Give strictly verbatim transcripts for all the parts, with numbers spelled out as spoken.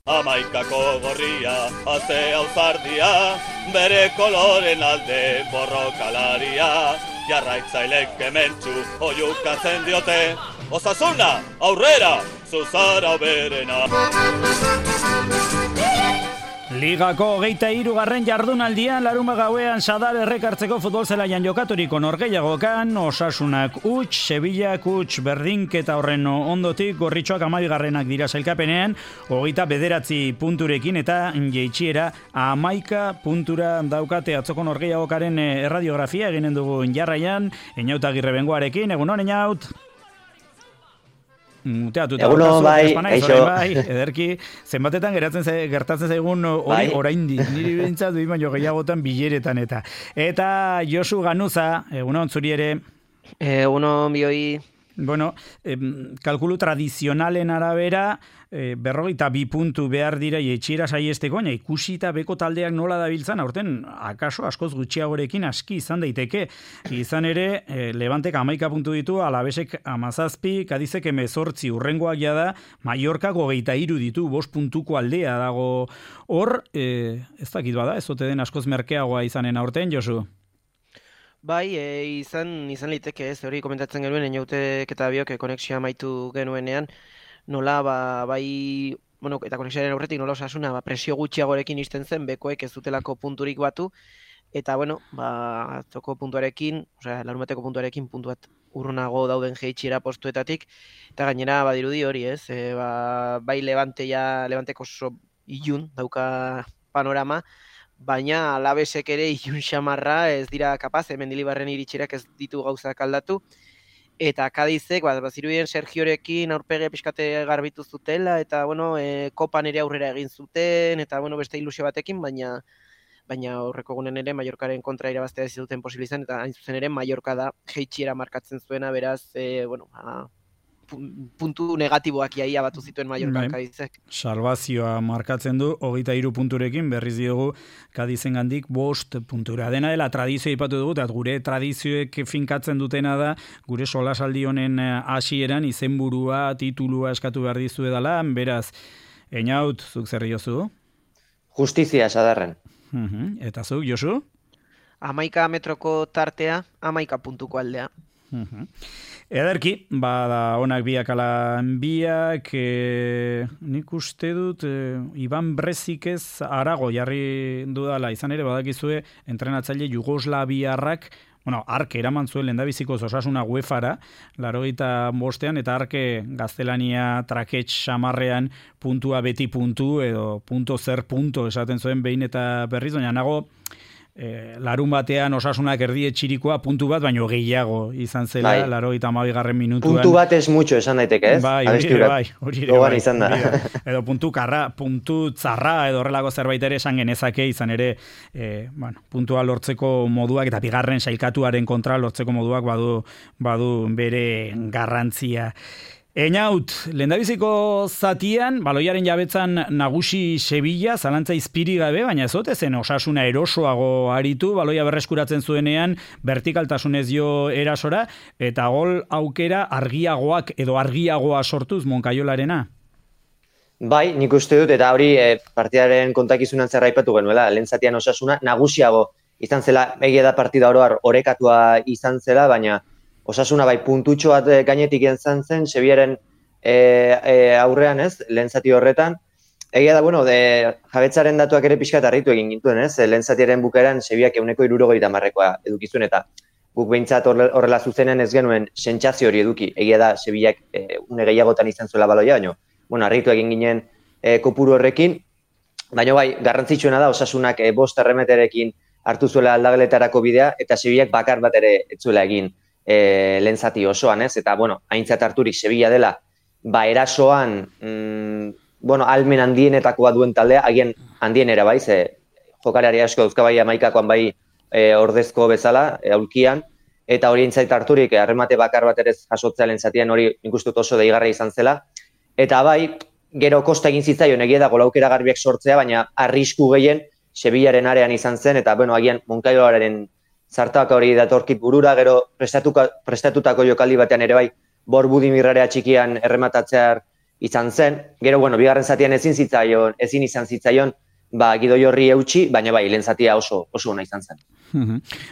Amaikako gorria, haze auzardia, bere koloren alde borrokalaria, jarraitzailek kementsu oiukatzen diote, Osasuna, aurrera, zuzara berena. Ligako hogeita hirugarren jardunaldian larunbat gauean Sadar errekartzeko futbol zelaian jokaturiko norgehiagokan Osasunak huts, Sevillak huts berdinketa horren ondotik gorritxoak hamabigarrenak dira sailkapenean, hogeita bederatzi punturekin eta jeitsiera hamaika puntura daukate atzoko norgehiagokaren erradiografia eginen dugu jarraian, Eñaut Agirre Bengoarekin, egunon Eñaut? Eguno, bai, eixo. Bai, ederki, zenbatetan geratzen ze, gertatzen zaigun hori bai. Oraindik, niri bintzat duin baino gehiagotan bileretan eta. Eta Josu Ganuza, egunon zuri ere. Egunon bioi. Bueno, eh, kalkulu tradizionalen arabera, eh, berrogeita bi puntu behar dira etxiera saiesteko, baina ikusita beko taldeak nola dabiltzan, aurten akaso askoz gutxiagorekin aski izan daiteke. Izan ere, eh, Levantek hamaika puntu ditu, Alavesek hamazazpi, Kadizek hemezortzi, urrengoak jada, Mallorcak hogeita hiru ditu, bost puntuko aldea dago hor, eh, ez dakit bada, ez ote den askoz merkeagoa izanen aurten, Josu? Bai, e, izan izan liteke ez, hori komentatzen genuen, Eñautek eta biok konexioa amaitu genuenean, nola, ba, bai, bueno, eta konexioaren aurretik nola Osasuna, ba, presio gutxiagorekin izten zen, bekoek ez dutelako punturik batu, eta, bueno, ba, atzoko puntuarekin, osea, larunbateko puntuarekin puntu bat urrunago dauden jeitsiera postuetatik, eta gainera, badirudi hori ez, e, ba, bai Levante ja, Levanteko oso ilun dauka panorama, baina Alavesek ere ilun xamarra ez dira kapaz, Mendilibarren iritxerak ez ditu gauzak aldatu, eta Kadizek, bat, bazirudien Sergiorekin aurpege pixkate garbitu zutela, eta, bueno, e, kopan ere aurrera egin zuten, eta, bueno, beste ilusio batekin, baina baina horreko gunen ere Mallorcaren kontra irabaztea ez duten posibilizan, eta hain zuzen ere Mallorca da jeitsiera markatzen zuena, beraz, e, bueno, a, puntu negatiboak iaia batu zituen Mallorca Kadizek. Salvazioa markatzen du, hogeita hiru punturekin, berriz diogu Kadizengandik bost puntura. Dena dela tradizioa ipatu dugu, eta gure tradizioek finkatzen dutena da, gure solasaldi honen hasieran izenburua, titulua eskatu behar dizu edala, beraz, Eñaut, zuk zer diozu? Justizia, Sadarren. Uh-huh. Eta zuk, Josu? Hamaika metroko tartea, hamaika puntuko aldea. Uh-huh. Ederki, bada onak biak ala biak, e, nik uste dut, e, Iban Brezik ez arago jarri dudala, izan ere badakizue entrenatzaile Jugoslaviarrak, bueno, Arke eraman zuen lehendabiziko Osasuna UEFara, larogeita bostean, eta Arke gaztelania trakets samarrean puntua beti puntu, edo punto zer punto esaten zuen behin eta berriz, baina nago, E, larun batean Osasunak erdietxirikoa puntu bat, baino gehiago izan zela, bai. Larogeita hamabigarren minutuan. Puntu bat ez mucho esan daiteke, ez? Bai, hori ere bai. Hori ere bai. Izan da. Edo puntu karra, puntu tzarra, edo horrelako zerbait ere esan genezake, izan ere, e, bueno, puntua lortzeko moduak, eta bigarren sailkatuaren kontra lortzeko moduak badu, badu bere garrantzia. Eñaut, lehendabiziko zatian, baloiaren jabetzan nagusi Sevilla, zalantza izpiri gabe, baina ez ote zen Osasuna erosoago aritu, baloia berreskuratzen zuenean, vertikaltasunez jo erasora, eta gol aukera argiagoak edo argiagoa sortuz Moncayolarena. Bai, nik uste dut, eta hori e, partidaren kontakizunan zerra aipatu genuela, lehen zatian Osasuna nagusiago izan zela, egia da partida oroar orekatua izan zela, baina Osasuna bai puntutxo bat gainetik izan zen, Sevillaren e, e, aurrean ez, lehen zati horretan. Egia da, bueno, de, jabetzaren datuak ere pixkat harritu egin gintuen, ez? Lehen zatiaren bukaeran Sevillak euneko hirurogeita hamarrekoa edukizuen, eta guk behintzat horrela zuzenen ez genuen sentsazio hori eduki. Egia da, Sevillak e, une gehiagotan izan zuela baloia, baina, bueno, harritu egin ginen e, kopuru horrekin. Baina bai, garrantzitsuena da, Osasunak e, bost erremeterekin hartu zuela aldageletarako bidea, eta Sevillak bakar bat ere ez zuela egin. E, lehen zati osoan, ez? Eta, bueno, aintzat harturik Sevilla dela, ba, erasoan, mm, bueno, almen handienetako bat duen taldea, agian handienera bai, ze jokalari asko dauzka bai amaikakoan bai e, ordezko bezala, e, aulkian, eta hori aintzat harturik, harremate bakar bat ere jasotzea lehen zatian hori ikustut oso deigarra izan zela, eta bai, gero kosta egin zitzaion egia da golaukera garbiak sortzea, baina arrisku gehien Sevillaren arean izan zen, eta, bueno, agian Moncayoaren zartak hori datorkit burura, gero prestatutako jokaldi batean ere bai, Bor Budimirrarea txikian errematatzear izan zen. Gero, bueno, bigarren zatian ezin zitzaion, ezin izan zitzaion, ba, Gidoi horri eutxi, baina bai, lehen zatia oso, oso ona izan zen.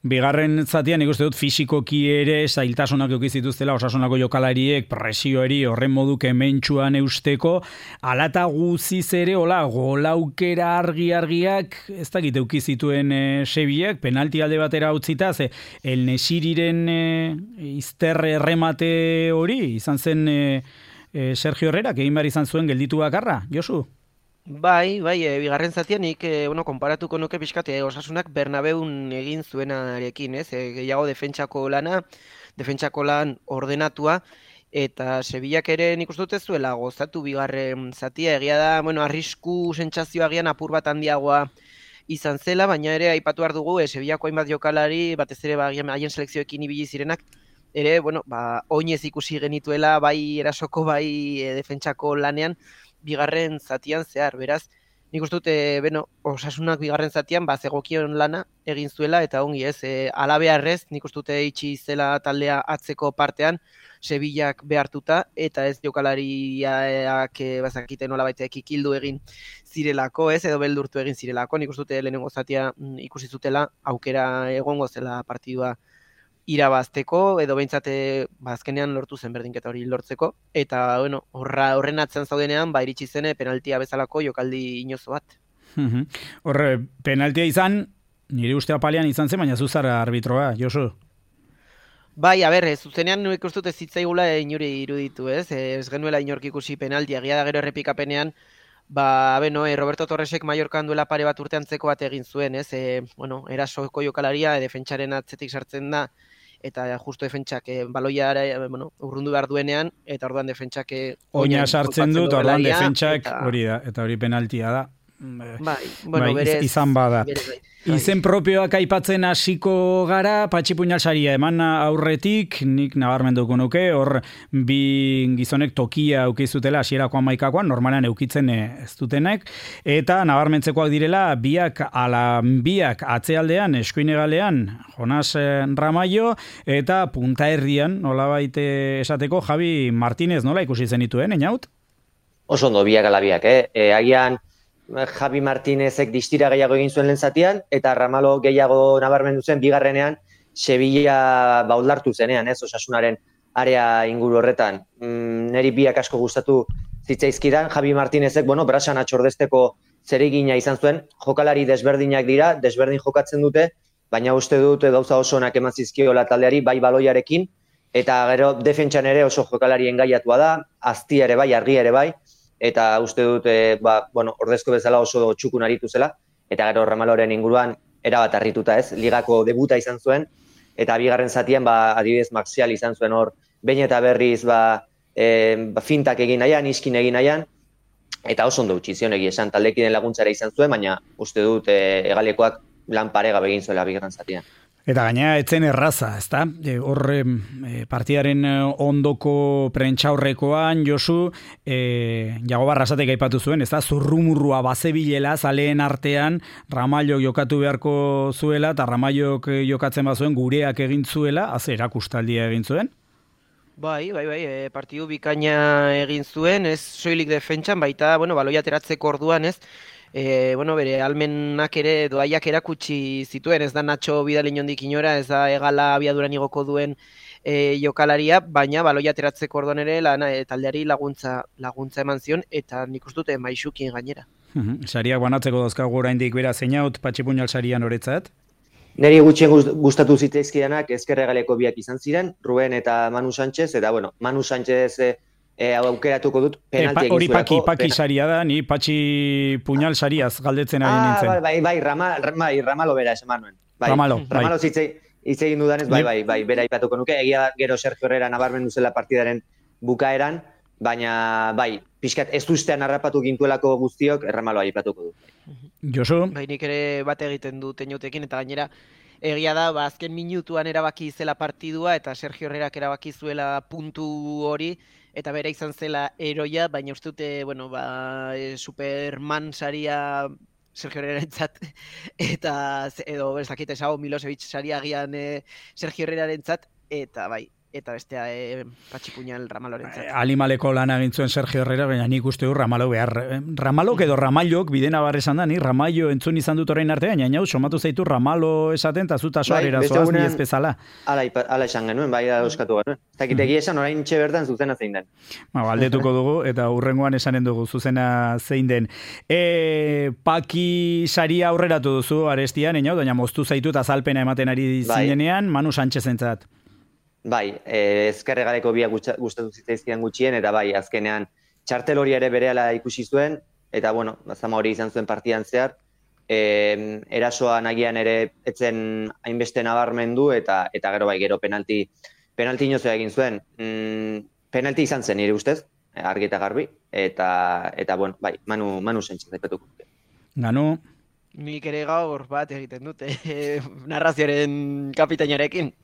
Bigarren zatian, nik uste dut, fisikoki ere zailtasunak eduki zituztela Osasunako jokalariek presioeri horren modu kementsuan eusteko, alata guziz ere, hola, golaukera argi-argiak, ez dakit eduki zituen e, Sevillaak, penalti alde batera utzita, ze El Nesiriren e, izterre erremate hori, izan zen e, e, Sergio Herrerak, egin behar izan zuen gelditu bakarra, Josu? Bai, bai, e, bigarren zatian nik, e, bueno, konparatuko nuke pixkat, e, Osasunak Bernabeun egin zuenarekin, ez? E, gehiago defentsako lana, defentsako lan ordenatua, eta Sevillak ere nik uste dut ez zuela gozatu bigarren zatia, egia da, bueno, arrisku sentsazioa agian apur bat handiagoa izan zela, baina ere aipatu behar dugu, e, Sevillako hainbat jokalari, batez ere ba, haien selekzioekin ibili zirenak, ere, bueno, ba, oinez ikusi genituela, bai erasoko, bai e, defentsako lanean, bigarren zatian zehar, beraz, nik uste dut, e, beno, Osasunak bigarren zatian, ba, zegokion lana egin zuela, eta ongi ez, e, alabearrez, nik uste dut itxi zela taldea atzeko partean, Sevillak behartuta, eta ez jokalariak e, bazakite nola baitek ikildu egin zirelako, ez, edo beldurtu egin zirelako, nik uste dut lehenengo zatia ikusi zutela, aukera egongo zela partidua irabazteko, edo behintzate bazkenean lortu zen berdinketa hori lortzeko, eta bueno, horra, horren atzen zaudenean, ba, iritsi zene penaltia bezalako jokaldi inozo bat. Horre, penaltia izan, nire uste apalean izan zen, baina zuzara arbitroa, Josu? Bai, a ber, zuzenean nik uste dut ez zitzaigula inuri iruditu, ez? Ez genuela inork ikusi penaltia, egia da gero errepikapenean, ba, beno, e, Roberto Torresek Mallorcan duela pare bat urte antzeko bat egin zuen, ez? E, bueno, erasoko jokalaria, e, defentsaren atzetik sartzen da, eta justo defentsak e, baloiara e, bueno, urrundu behar duenean, eta orduan defentsak oina sartzen du, eta orduan defentsak hori da, eta hori penaltia da. Bai, bueno, bai, berez, izan bada. Berez, bai. Izen propioak aipatzen hasiko gara, Patxi Puñalsaria eman aurretik, nik nabarmenduko nuke, hor bi gizonek tokia eukizutela hasierako hamaikakoan, normalan eukitzen ez dutenek, eta nabarmentzekoak direla, biak ala biak atzealdean, eskuinegalean, Jonas Ramallo, eta punta herrian, nolabait esateko, Javi Martínez nola ikusi zenituen, Einaut? Oso ondo, biak ala biak, eh? E, agian, Javi Martínezek distira gehiago egin zuen lehen zatian, eta Ramalo gehiago nabarmendu zen bigarrenean Sevilla bauldartu zenean, ez, Osasunaren area inguru horretan. Mm, neri biak asko gustatu zitzaizkidan, Javi Martínezek, bueno, brasan atxordesteko zeregina izan zuen, jokalari desberdinak dira, desberdin jokatzen dute, baina uste dut gauza oso onak eman zizkiola taldeari, bai baloiarekin, eta gero defentsan ere oso jokalari engaiatua da, azti ere bai, argi ere bai, eta uste dut, e, ba, bueno, ordezko bezala oso txukun aritu zela, eta gero Ramaloren inguruan erabat harrituta ez, ligako debuta izan zuen, eta bigarren zatian, ba, adibidez Maxial izan zuen hor, behin eta berriz, ba, e, ba, fintak egin nahian, iskin egin nahian, eta oso ondo utzi zion egia esan, taldekiden laguntzara izan zuen, baina uste dut, e, egalekoak lan parega begin zuela bigarren zatian. Eta gaina etzen erraza, ezta? E, Horre e, partidaren ondoko prentxaurrekoan, Josu, e, Jagoba Arrasatek aipatu zuen, ezta? Zurrumurrua bazebilela zaleen artean, Ramallo jokatu beharko zuela, eta Ramallok jokatzen bazuen gureak egin zuela, az erakustaldia egin zuen? Bai, bai, bai, e, partidu bikaina egin zuen, ez soilik defentsan, baita, bueno, baloia ateratzeko orduan, ez? E, bueno, bere almenak ere doaiak erakutsi zituen, ez da Nacho Vidal inondik inora, ez da egala abiaduran igoko duen e, jokalaria, baina baloia ateratzeko orduan ere lana, e, taldeari laguntza laguntza eman zion, eta nik uste dute maixukin gainera. Sariak banatzeko dauzkagu oraindik bera zeinaut Patxi Puñalsarian oretzat? Neri gutxien gustatu zitzaizkidanak ezkerregaleko biak izan ziren, Ruben eta Manu Sánchez, eta bueno, Manu Sánchez e, e, aukeratuko dut penalti egin hori zuelako. Hori paki, paki saria da, ni Patxi Puñalsariaz galdetzen ari nintzen. Ah, bai, bai, Rama, bai, Ramalo bera esan nuen. Bai, Ramalo, bai. Ramalo zitzei, hitz egin dudanez, bai, bai, bai, bera aipatuko nuke, egia gero Sergio Herrera nabarmendu zela partidaren bukaeran, baina, bai, pixkat ez ustean harrapatu gintuelako guztiok, Ramalo aipatuko du. Josu? Bai, nik ere bat egiten du Teñotekin, eta gainera, egia da, ba, azken minutuan erabaki zela partidua, eta Sergio Herrerak erabaki zuela puntu hori, eta bera izan zela eroia, baina uste dute, bueno, ba, e, Superman saria Sergio Herrerarentzat, eta, edo, ez dakit, esago Milosevic saria agian e, Sergio Herrerarentzat, eta bai, eta bestea e, Patxipuñal Ramalorentzat. Alimaleko lan agintzuen Sergio Herrera, baina nik uste du Ramalo behar. Ramalok edo Ramailok bidena bar esan da, ni Ramailo entzun izan dut orain artean, baina hau somatu zaitu Ramalo esaten, eta zuta soarera zoaz ni ez bezala. Ala, ala esan genuen, bai da euskatu genuen. Ez dakitegi esan orain txe bertan zuzena zein den. Ba, aldetuko dugu, eta hurrengoan esanen dugu zuzena zein den. E, Paki saria aurreratu duzu arestian, baina baina moztu zaitu eta azalpena ematen ari zinenean, Manu Sánchez entzat. Bai, eh, ezkerre gareko biak gustatu zitzaizkian gutxien, eta bai, azkenean txartel hori ere berehala ikusi zuen, eta bueno, zama hori izan zuen partidan zehar, eh, erasoa nagian ere etzen hainbeste nabarmendu, eta eta gero bai, gero penalti, penalti inozoa egin zuen. Mm, penalti izan zen nire ustez, argi eta garbi, eta, eta bueno, bai, Manu, Manu Sánchez aipatuko. Ganu? Nik ere gaur bat egiten dute, narrazioaren kapitainarekin.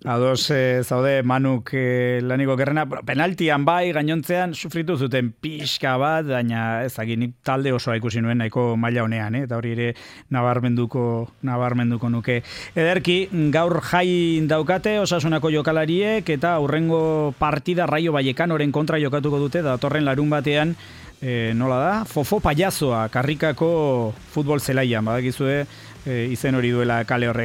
Ados e, zaude Manuk e, laniko gerrena, penaltian bai gainontzean sufritu zuten pixka bat, baina ezaginik talde osoa ikusi nuen nahiko maila honean, eh? Eta hori ere nabarmenduko, nabarmenduko nuke. Ederki, gaur jai daukate Osasunako jokalariek eta aurrengo partida Raio Vallecanoren kontra jokatuko dute, datorren larun batean, e, nola da? Fofo Payasoa, Karrikako futbol zelaian, badakizue, e, izen hori duela kale horrek.